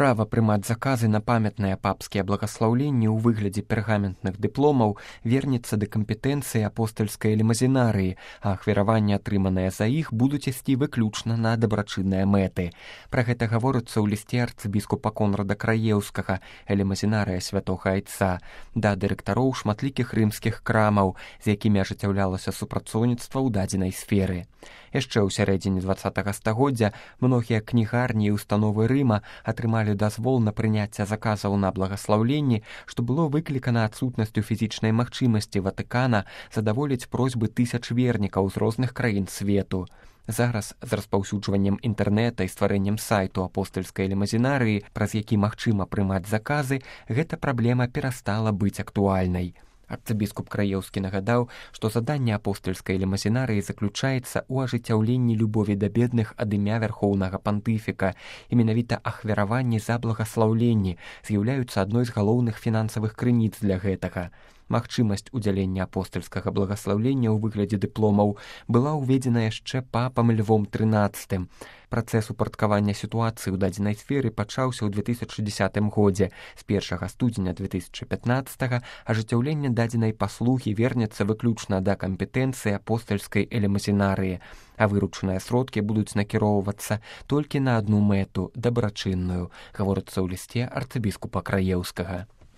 Права прымаць заказы на памятныя папскія благаслаўленні ў выглядзе пергаментных дыпломаў вернецца да кампетэнцыі апостальскай элемазінарыі, а ахвяраванні, атрыманыя за іх, будуць ісці выключна на дабрачынныя мэты. Пра гэта гаворыцца ў лісце арцыбіскупа Конрада Краеўскага, элемазінарыя святога Айца, да дырэктароў шматлікіх рымскіх крамаў, з якімі ажыццяўлялася супрацоўніцтва ў дадзенай сферы. Яшчэ ў сярэдзіне 20 стагоддзя многія кнігарні і установы Рыма атрымалі дазвол на прыняцце заказаў на благаслаўленні, што было выклікана адсутнасцю фізічнай магчымасці Ватыкана задаволіць просьбы тысяч вернікаў з розных краін свету. Зараз з распаўсюджваннем інтэрнэта і стварэннем сайту апостальскай элемазінарыі, праз які магчыма прымаць заказы, гэта праблема перастала быць актуальнай. Арцыбіскуп Краеўскі нагадаў, што заданне апостальскай элемазінарыі заключаецца ў ажыццяўленні любові да бедных ад імя вярхоўнага пантыфіка, і менавіта ахвяраванні за благаслаўленні з'яўляюцца адной з галоўных фінансавых крыніц для гэтага. Магчымасць удзялення апостальскага благаслаўлення ў выглядзе дыпломаў была ўведзена яшчэ папам Львом XIII. Працэс упарадкавання сітуацыі ў дадзенай сферы пачаўся ў 2010 годзе. З 1 студзеня 2015 ажыццяўленне дадзенай паслугі вернецца выключна да кампетэнцыі апостальскай элемазінарыі, а выручаныя сродкі будуць накіроўвацца толькі на адну мэту – дабрачынную, гаворыцца ў лісце арцыбіскупа Краеўскага.